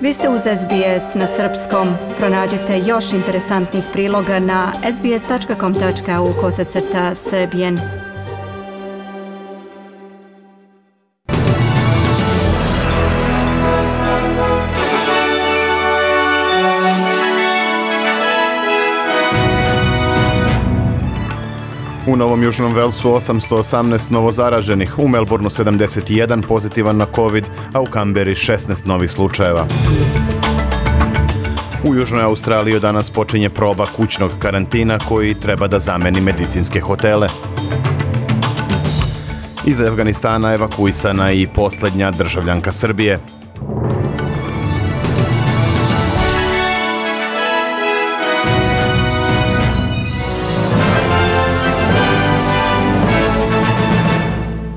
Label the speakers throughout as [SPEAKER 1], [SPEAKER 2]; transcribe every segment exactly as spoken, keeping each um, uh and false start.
[SPEAKER 1] Vi ste uz S B S na srpskom. Pronađite još interesantnih priloga na sbs.com tačka au kosacrta srbijen.
[SPEAKER 2] U Novom Južnom Velsu osamsto osamnaest novozaraženih, u Melbourneu sedamdeset jedan pozitivan na COVID, a u Kamberi šesnaest novih slučajeva. U Južnoj Australiji od danas počinje proba kućnog karantina koji treba da zameni medicinske hotele. Iz Afganistana evakuisana i posljednja državljanka Srbije.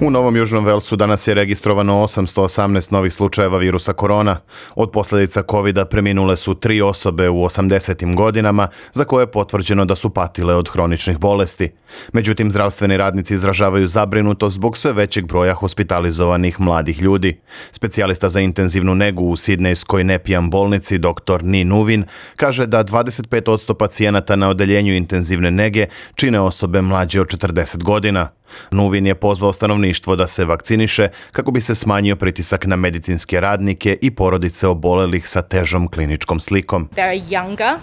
[SPEAKER 2] U Novom Južnom Velsu danas je registrovano osamsto osamnaest novih slučajeva virusa korona. Od posljedica kovida preminule su tri osobe u osamdesetim godinama za koje je potvrđeno da su patile od hroničnih bolesti. Međutim, zdravstveni radnici izražavaju zabrinutost zbog sve većeg broja hospitalizovanih mladih ljudi. Specijalista za intenzivnu negu u Sidnejskoj Nepijan bolnici dr. Ni Nuvin kaže da dvadeset pet posto pacijenata na odeljenju intenzivne nege čine osobe mlađe od četrdeset godina. Nuvin je pozvao stanovništvo da se vakciniše kako bi se smanjio pritisak na medicinske radnike i porodice obolelih sa težom kliničkom slikom.
[SPEAKER 3] They are younger,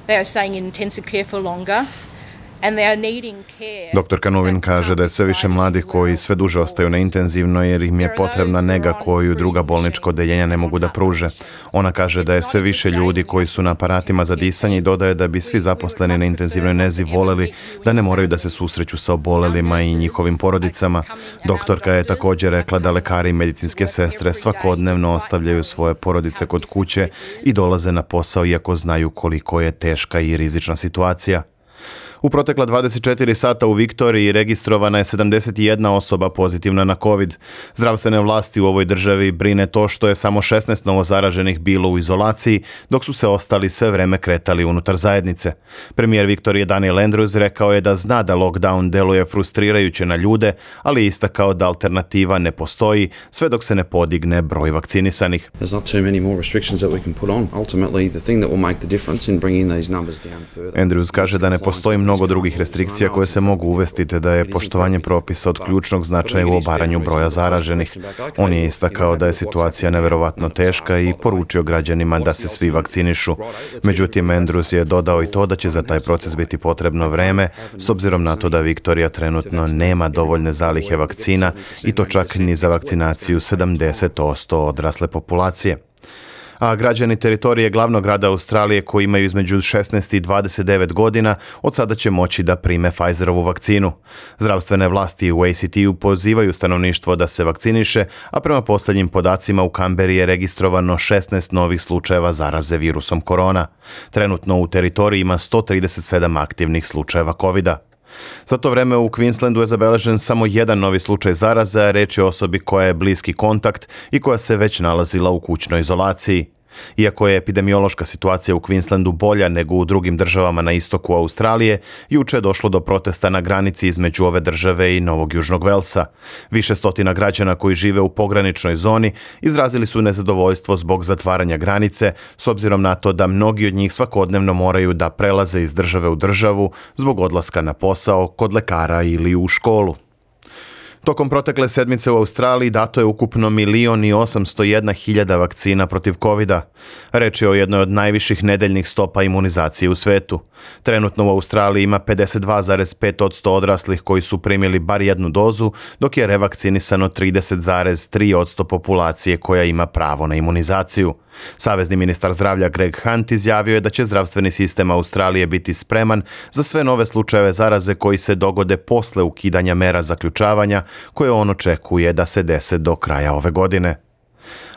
[SPEAKER 3] they are staying in intensive care for longer.
[SPEAKER 2] doktor Nuvin kaže da je sve više mladih koji sve duže ostaju na intenzivnoj jer im je potrebna nega koju druga bolnička odeljenja ne mogu da pruže. Ona kaže da je sve više ljudi koji su na aparatima za disanje i dodaje da bi svi zaposleni na intenzivnoj nezi voleli da ne moraju da se susreću sa obolelima i njihovim porodicama. Doktorka je također rekla da lekari i medicinske sestre svakodnevno ostavljaju svoje porodice kod kuće i dolaze na posao iako znaju koliko je teška i rizična situacija. U protekla dvadeset četiri sata u Viktoriji registrovana je sedamdeset jedna osoba pozitivna na COVID. Zdravstvene vlasti u ovoj državi brine to što je samo šesnaest novozaraženih bilo u izolaciji, dok su se ostali sve vreme kretali unutar zajednice. Premijer Viktorije Daniel Andrews rekao je da zna da lockdown deluje frustrirajuće na ljude, ali je istakao da alternativa ne postoji sve dok se ne podigne broj vakcinisanih. Andrews kaže da ne postoji mnogo mnogo drugih restrikcija koje se mogu uvesti te da je poštovanje propisa od ključnog značaja u obaranju broja zaraženih. On je istakao da je situacija neverovatno teška i poručio građanima da se svi vakcinišu. Međutim, Andrews je dodao i to da će za taj proces biti potrebno vreme, s obzirom na to da Viktorija trenutno nema dovoljne zalihe vakcina i to čak ni za vakcinaciju sedamdeset posto odrasle populacije. A građani teritorije glavnog grada Australije koji imaju između šesnaest i dvadeset devet godina od sada će moći da prime Pfizerovu vakcinu. Zdravstvene vlasti u A C T-u pozivaju stanovništvo da se vakciniše, a prema posljednjim podacima u Kamberi je registrovano šesnaest novih slučajeva zaraze virusom korona. Trenutno u teritoriji ima sto trideset sedam aktivnih slučajeva kovida. Za to vreme u Queenslandu je zabeležen samo jedan novi slučaj zaraze, a reč je o osobi koja je bliski kontakt i koja se već nalazila u kućnoj izolaciji. Iako je epidemiološka situacija u Queenslandu bolja nego u drugim državama na istoku Australije, juče je došlo do protesta na granici između ove države i Novog Južnog Velsa. Više stotina građana koji žive u pograničnoj zoni izrazili su nezadovoljstvo zbog zatvaranja granice, s obzirom na to da mnogi od njih svakodnevno moraju da prelaze iz države u državu zbog odlaska na posao, kod lekara ili u školu. Tokom protekle sedmice u Australiji dato je ukupno milion i osamsto jedna hiljada vakcina protiv kovida. Reč je o jednoj od najviših nedeljnih stopa imunizacije u svetu. Trenutno u Australiji ima pedeset dva zarez pet posto odraslih koji su primili bar jednu dozu, dok je revakcinisano trideset zarez tri posto populacije koja ima pravo na imunizaciju. Savezni ministar zdravlja Greg Hunt izjavio je da će zdravstveni sistem Australije biti spreman za sve nove slučajeve zaraze koji se dogode posle ukidanja mera zaključavanja koje on očekuje da se dese do kraja ove godine.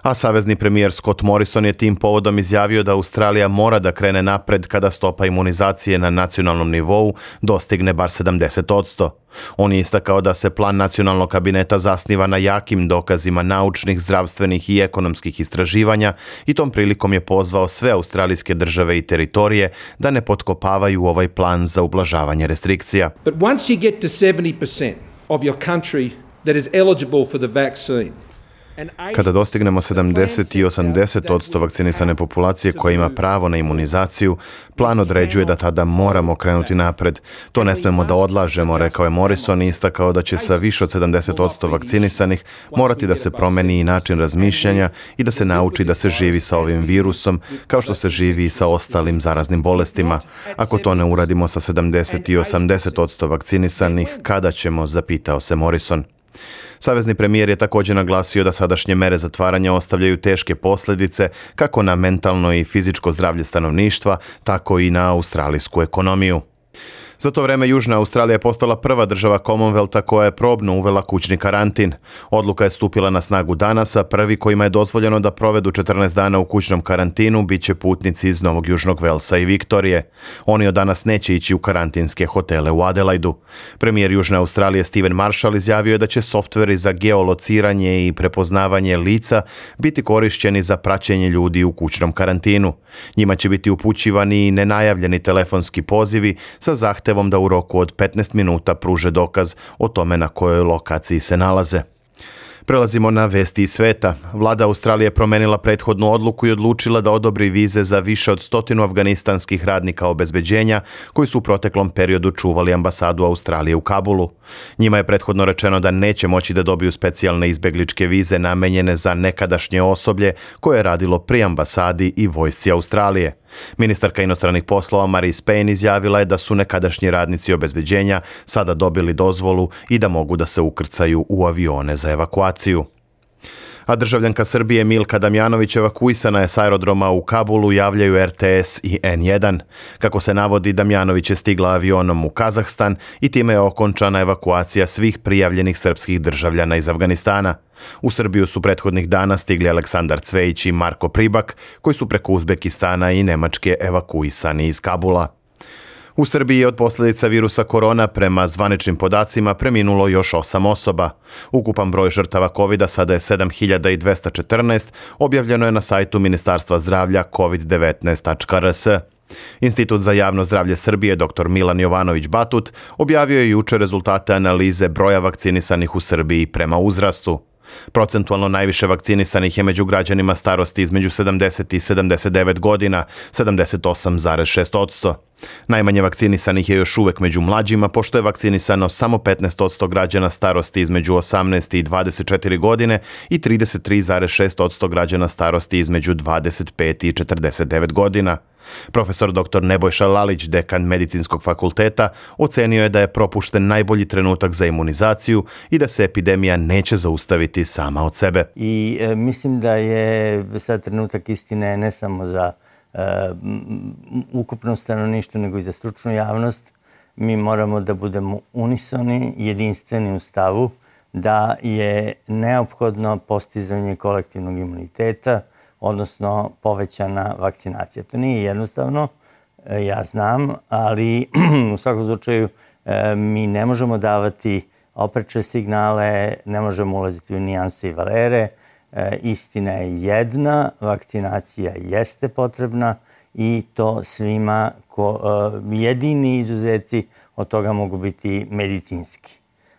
[SPEAKER 2] A savezni premijer Scott Morrison je tim povodom izjavio da Australija mora da krene napred kada stopa imunizacije na nacionalnom nivou dostigne bar sedamdeset posto. On je istakao da se plan nacionalnog kabineta zasniva na jakim dokazima naučnih, zdravstvenih i ekonomskih istraživanja i tom prilikom je pozvao sve australijske države i teritorije da ne potkopavaju ovaj plan za ublažavanje restrikcija.
[SPEAKER 4] But once you get to seventy percent of your country that is eligible for the vaccine,
[SPEAKER 2] Kada dostignemo sedamdeset i osamdeset odsto vakcinisane populacije koja ima pravo na imunizaciju, plan određuje da tada moramo krenuti napred. To ne smemo da odlažemo, rekao je Morrison i istakao da će sa više od sedamdeset odsto vakcinisanih morati da se promeni i način razmišljanja i da se nauči da se živi sa ovim virusom, kao što se živi i sa ostalim zaraznim bolestima. Ako to ne uradimo sa sedamdeset i osamdeset odsto vakcinisanih, kada ćemo, zapitao se Morrison. Savezni premijer je također naglasio da sadašnje mere zatvaranja ostavljaju teške posljedice kako na mentalno i fizičko zdravlje stanovništva, tako i na australijsku ekonomiju. Za to vreme Južna Australija je postala prva država Commonwealtha koja je probno uvela kućni karantin. Odluka je stupila na snagu danas, a prvi kojima je dozvoljeno da provedu četrnaest dana u kućnom karantinu bit će putnici iz Novog Južnog Velsa i Viktorije. Oni od danas neće ići u karantinske hotele u Adelaidu. Premijer Južne Australije Stephen Marshall izjavio je da će softveri za geolociranje i prepoznavanje lica biti korišćeni za praćenje ljudi u kućnom karantinu. Njima će biti upućivani i nenajavljeni telefonski pozivi sa zahtjevom da u roku od petnaest minuta pruže dokaz o tome na kojoj lokaciji se nalaze. Prelazimo na vesti iz sveta. Vlada Australije promenila prethodnu odluku i odlučila da odobri vize za više od stotinu afganistanskih radnika obezbeđenja koji su u proteklom periodu čuvali ambasadu Australije u Kabulu. Njima je prethodno rečeno da neće moći da dobiju specijalne izbegličke vize namenjene za nekadašnje osoblje koje je radilo pri ambasadi i vojsci Australije. Ministarka inostranih poslova Marise Payne izjavila je da su nekadašnji radnici obezbeđenja sada dobili dozvolu i da mogu da se ukrcaju u avione za evakuaciju. A državljanka Srbije Milka Damjanović evakuisana je s aerodroma u Kabulu, javljaju R T S i N jedan. Kako se navodi, Damjanović je stigla avionom u Kazahstan i time je okončana evakuacija svih prijavljenih srpskih državljana iz Afganistana. U Srbiju su prethodnih dana stigli Aleksandar Cvejić i Marko Pribak, koji su preko Uzbekistana i Nemačke evakuisani iz Kabula. U Srbiji je od posljedica virusa korona prema zvaničnim podacima preminulo još osam osoba. Ukupan broj žrtava kovida sada je sedam hiljada dvesta četrnaest, objavljeno je na sajtu Ministarstva zdravlja covid devetnaest tačka r s. Institut za javno zdravlje Srbije dr Milan Jovanović Batut objavio je jučer rezultate analize broja vakcinisanih u Srbiji prema uzrastu. Procentualno najviše vakcinisanih je među građanima starosti između sedamdeset i sedamdeset devet godina, sedamdeset osam zarez šest odsto. Najmanje vakcinisanih je još uvek među mlađima, pošto je vakcinisano samo petnaest odsto građana starosti između osamnaest i dvadeset četiri godine i trideset tri zarez šest odsto građana starosti između dvadeset pet i četrdeset devet godina. Profesor dr Nebojša Lalić, dekan Medicinskog fakulteta, ocenio je da je propušten najbolji trenutak za imunizaciju i da se epidemija neće zaustaviti sama od sebe.
[SPEAKER 4] I e, mislim da je sad trenutak istine ne samo za e, ukupno stanovništvo, nego i za stručnu javnost. Mi moramo da budemo unisoni, jedinstveni u stavu da je neophodno postizanje kolektivnog imuniteta, odnosno povećana vakcinacija. To nije jednostavno, ja znam, ali u svakom slučaju mi ne možemo davati opreče signale, ne možemo ulaziti u nijanse i valere. Istina je jedna, vakcinacija jeste potrebna i to svima, ko, jedini izuzeci od toga mogu biti medicinski.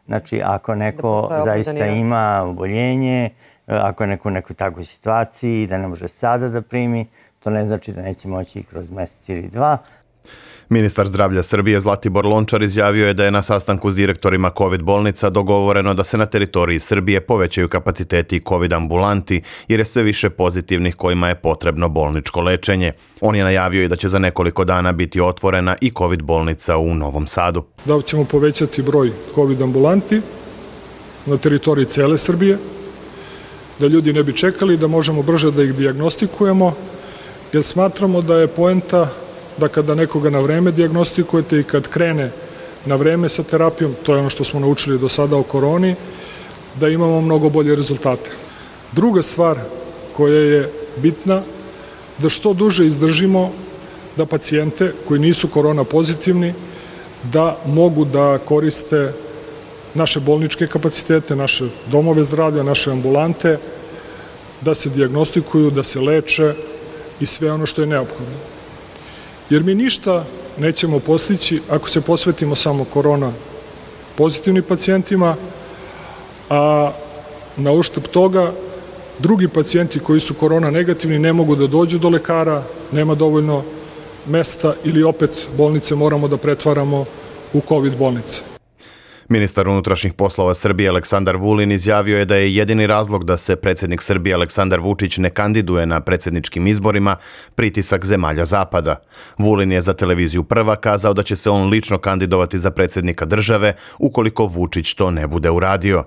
[SPEAKER 4] Znači, ako neko zaista ima oboljenje, ako je neko u nekoj takvoj situaciji da ne može sada da primi, to ne znači da neće moći kroz mjesec ili dva.
[SPEAKER 2] Ministar zdravlja Srbije Zlatibor Lončar izjavio je da je na sastanku s direktorima COVID bolnica dogovoreno da se na teritoriji Srbije povećaju kapaciteti COVID ambulanti jer je sve više pozitivnih kojima je potrebno bolničko lečenje. On je najavio i da će za nekoliko dana biti otvorena i COVID bolnica u Novom Sadu.
[SPEAKER 5] Da ćemo povećati broj COVID ambulanti na teritoriji cele Srbije, da ljudi ne bi čekali, da možemo brže da ih dijagnostikujemo, jer smatramo da je poenta da kada nekoga na vreme dijagnostikujete i kad krene na vreme sa terapijom, to je ono što smo naučili do sada o koroni, da imamo mnogo bolje rezultate. Druga stvar koja je bitna, da što duže izdržimo da pacijente koji nisu korona pozitivni, da mogu da koriste naše bolničke kapacitete, naše domove zdravlja, naše ambulante, da se dijagnostikuju, da se leče i sve ono što je neophodno. Jer mi ništa nećemo postići ako se posvetimo samo korona pozitivnim pacijentima, a na uštrb toga drugi pacijenti koji su korona negativni ne mogu da dođu do lekara, nema dovoljno mesta ili opet bolnice moramo da pretvaramo u COVID bolnice.
[SPEAKER 2] Ministar unutrašnjih poslova Srbije Aleksandar Vulin izjavio je da je jedini razlog da se predsjednik Srbije Aleksandar Vučić ne kandiduje na predsjedničkim izborima pritisak zemalja Zapada. Vulin je za televiziju Prva kazao da će se on lično kandidovati za predsjednika države ukoliko Vučić to ne bude uradio.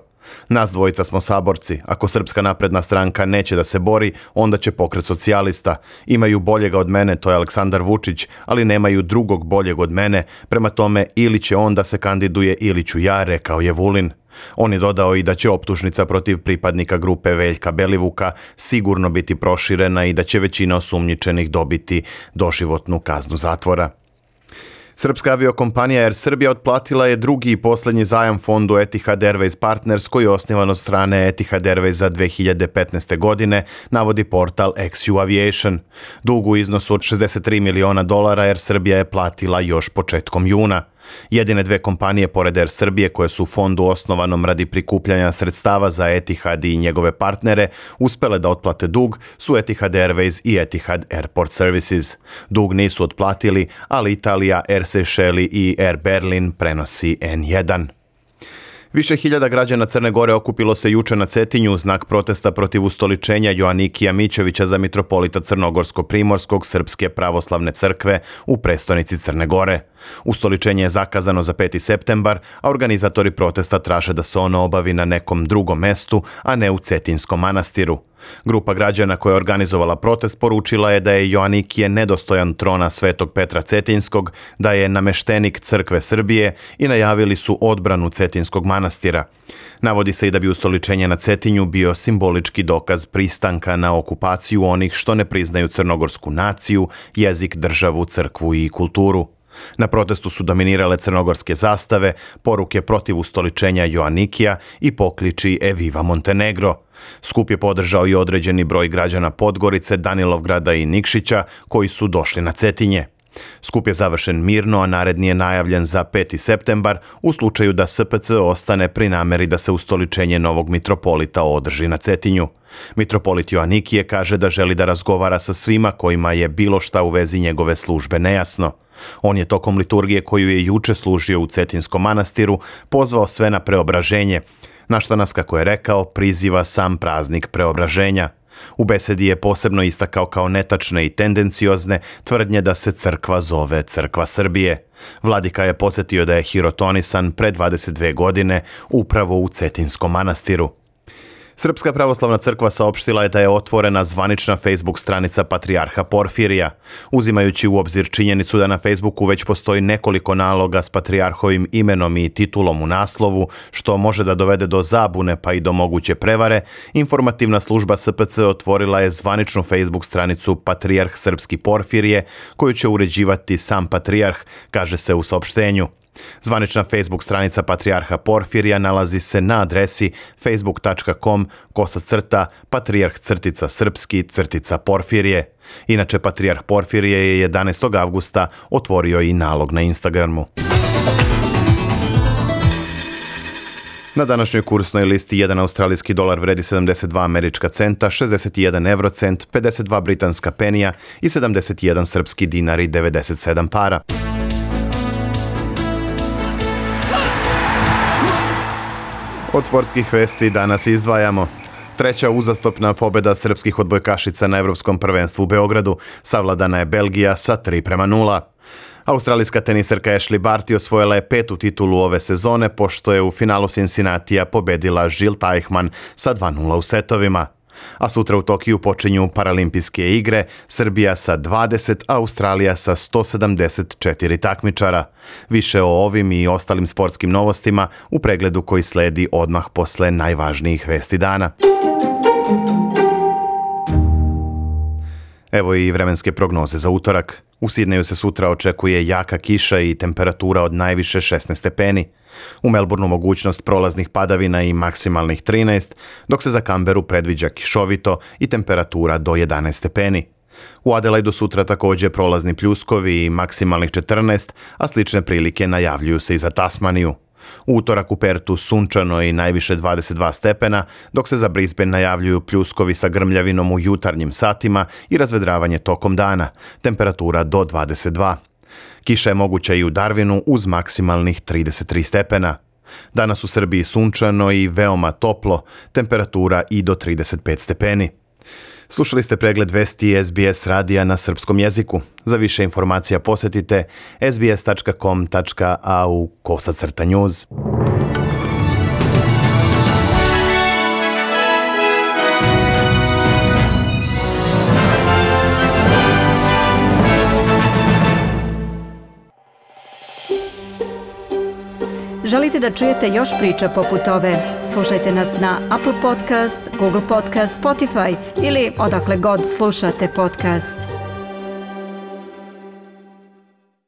[SPEAKER 2] Nas dvojica smo saborci. Ako Srpska napredna stranka neće da se bori, onda će Pokret socijalista. Imaju boljega od mene, to je Aleksandar Vučić, ali nemaju drugog boljeg od mene. Prema tome, ili će on da se kandiduje ili ću ja, rekao je Vulin. On je dodao i da će optužnica protiv pripadnika grupe Veljka Belivuka sigurno biti proširena i da će većina osumnjičenih dobiti doživotnu kaznu zatvora. Srpska aviokompanija Air Srbija otplatila je drugi i posljednji zajam fondu Etihad Airways Partners koji je osnivan od strane Etihad Airwaysa dve hiljade petnaeste. godine, navodi portal X U Aviation. Dug u iznosu od šezdeset tri miliona dolara Air Srbija je platila još početkom juna. Jedine dve kompanije pored Air Srbije koje su u fondu osnovanom radi prikupljanja sredstava za Etihad i njegove partnere uspele da otplate dug su Etihad Airways i Etihad Airport Services. Dug nisu otplatili, ali Italija, Air Seychelles i Air Berlin prenosi N jedan. Više hiljada građana Crne Gore okupilo se juče na Cetinju u znak protesta protiv ustoličenja Joanikija Mićevića za mitropolita Crnogorsko-Primorskog Srpske pravoslavne crkve u prestonici Crne Gore. Ustoličenje je zakazano za peti septembar, a organizatori protesta traže da se ono obavi na nekom drugom mestu, a ne u Cetinskom manastiru. Grupa građana koja je organizovala protest poručila je da je Joanikije nedostojan trona Svetog Petra Cetinskog, da je nameštenik Crkve Srbije i najavili su odbranu Cetinskog manastira. Navodi se i da bi ustoličenje na Cetinju bio simbolički dokaz pristanka na okupaciju onih što ne priznaju crnogorsku naciju, jezik, državu, crkvu i kulturu. Na protestu su dominirale crnogorske zastave, poruke protiv ustoličenja Joanikija i pokliči E Viva Montenegro. Skup je podržao i određeni broj građana Podgorice, Danilovgrada i Nikšića koji su došli na Cetinje. Skup je završen mirno, a naredni je najavljen za peti septembar u slučaju da S P C ostane pri nameri da se ustoličenje novog mitropolita održi na Cetinju. Mitropolit Joanikije kaže da želi da razgovara sa svima kojima je bilo šta u vezi njegove službe nejasno. On je tokom liturgije koju je juče služio u Cetinskom manastiru pozvao sve na preobraženje, na šta nas, kako je rekao, priziva sam praznik preobraženja. U besedi je posebno istakao kao netačne i tendenciozne tvrdnje da se crkva zove Crkva Srbije. Vladika je podsjetio da je hirotonisan pre dvadeset dve godine upravo u Cetinskom manastiru. Srpska pravoslavna crkva saopštila je da je otvorena zvanična Facebook stranica Patrijarha Porfirija. Uzimajući u obzir činjenicu da na Facebooku već postoji nekoliko naloga s patrijarhovim imenom i titulom u naslovu, što može da dovede do zabune pa i do moguće prevare, informativna služba S P C otvorila je zvaničnu Facebook stranicu Patrijarh Srpski Porfirije, koju će uređivati sam patrijarh, kaže se u saopštenju. Zvanična Facebook stranica Patrijarha Porfirija nalazi se na adresi facebook tačka com kosa crta patrijarh crtica srpski crtica Porfirije. Inače, Patrijarh Porfirije je jedanaestog avgusta otvorio i nalog na Instagramu. Na današnjoj kursnoj listi jedan australijski dolar vredi sedamdeset dva američka centa, šezdeset jedan eurocent, pedeset dva britanska penija i sedamdeset jedan srpski dinar i devedeset sedam para. Od sportskih vesti danas izdvajamo. Treća uzastopna pobjeda srpskih odbojkašica na Evropskom prvenstvu u Beogradu. Savladana je Belgija sa tri prema nula. Australijska teniserka Ashley Barty osvojila je petu titulu ove sezone, pošto je u finalu Cincinnatija pobedila Jill Teichmann sa dva nula u setovima. A sutra u Tokiju počinju Paralimpijske igre, Srbija sa dvadeset, a Australija sa sto sedamdeset četiri takmičara. Više o ovim i ostalim sportskim novostima u pregledu koji sledi odmah posle najvažnijih vesti dana. Evo i vremenske prognoze za utorak. U Sidneju se sutra očekuje jaka kiša i temperatura od najviše šesnaest stepeni. U Melbourneu mogućnost prolaznih padavina i maksimalnih trinaest, dok se za Kamberu predviđa kišovito i temperatura do jedanaest stepeni. U Adelaidu sutra također prolazni pljuskovi i maksimalnih četrnaest, a slične prilike najavljuju se i za Tasmaniju. U utorak u Pertu sunčano i najviše dvadeset dva stepena, dok se za Brisbane najavljuju pljuskovi sa grmljavinom u jutarnjim satima i razvedravanje tokom dana, temperatura do dvadeset dva. Kiša je moguća i u Darwinu uz maksimalnih trideset tri stepena. Danas u Srbiji sunčano i veoma toplo, temperatura i do trideset pet stepeni. Slušali ste pregled vesti S B S radija na srpskom jeziku. Za više informacija posjetite s b s tačka com tačka a u kosacrta news.
[SPEAKER 1] Želite da čujete još priča poput ove? Slušajte nas na Apple Podcast, Google Podcast, Spotify ili odakle god slušate podcast.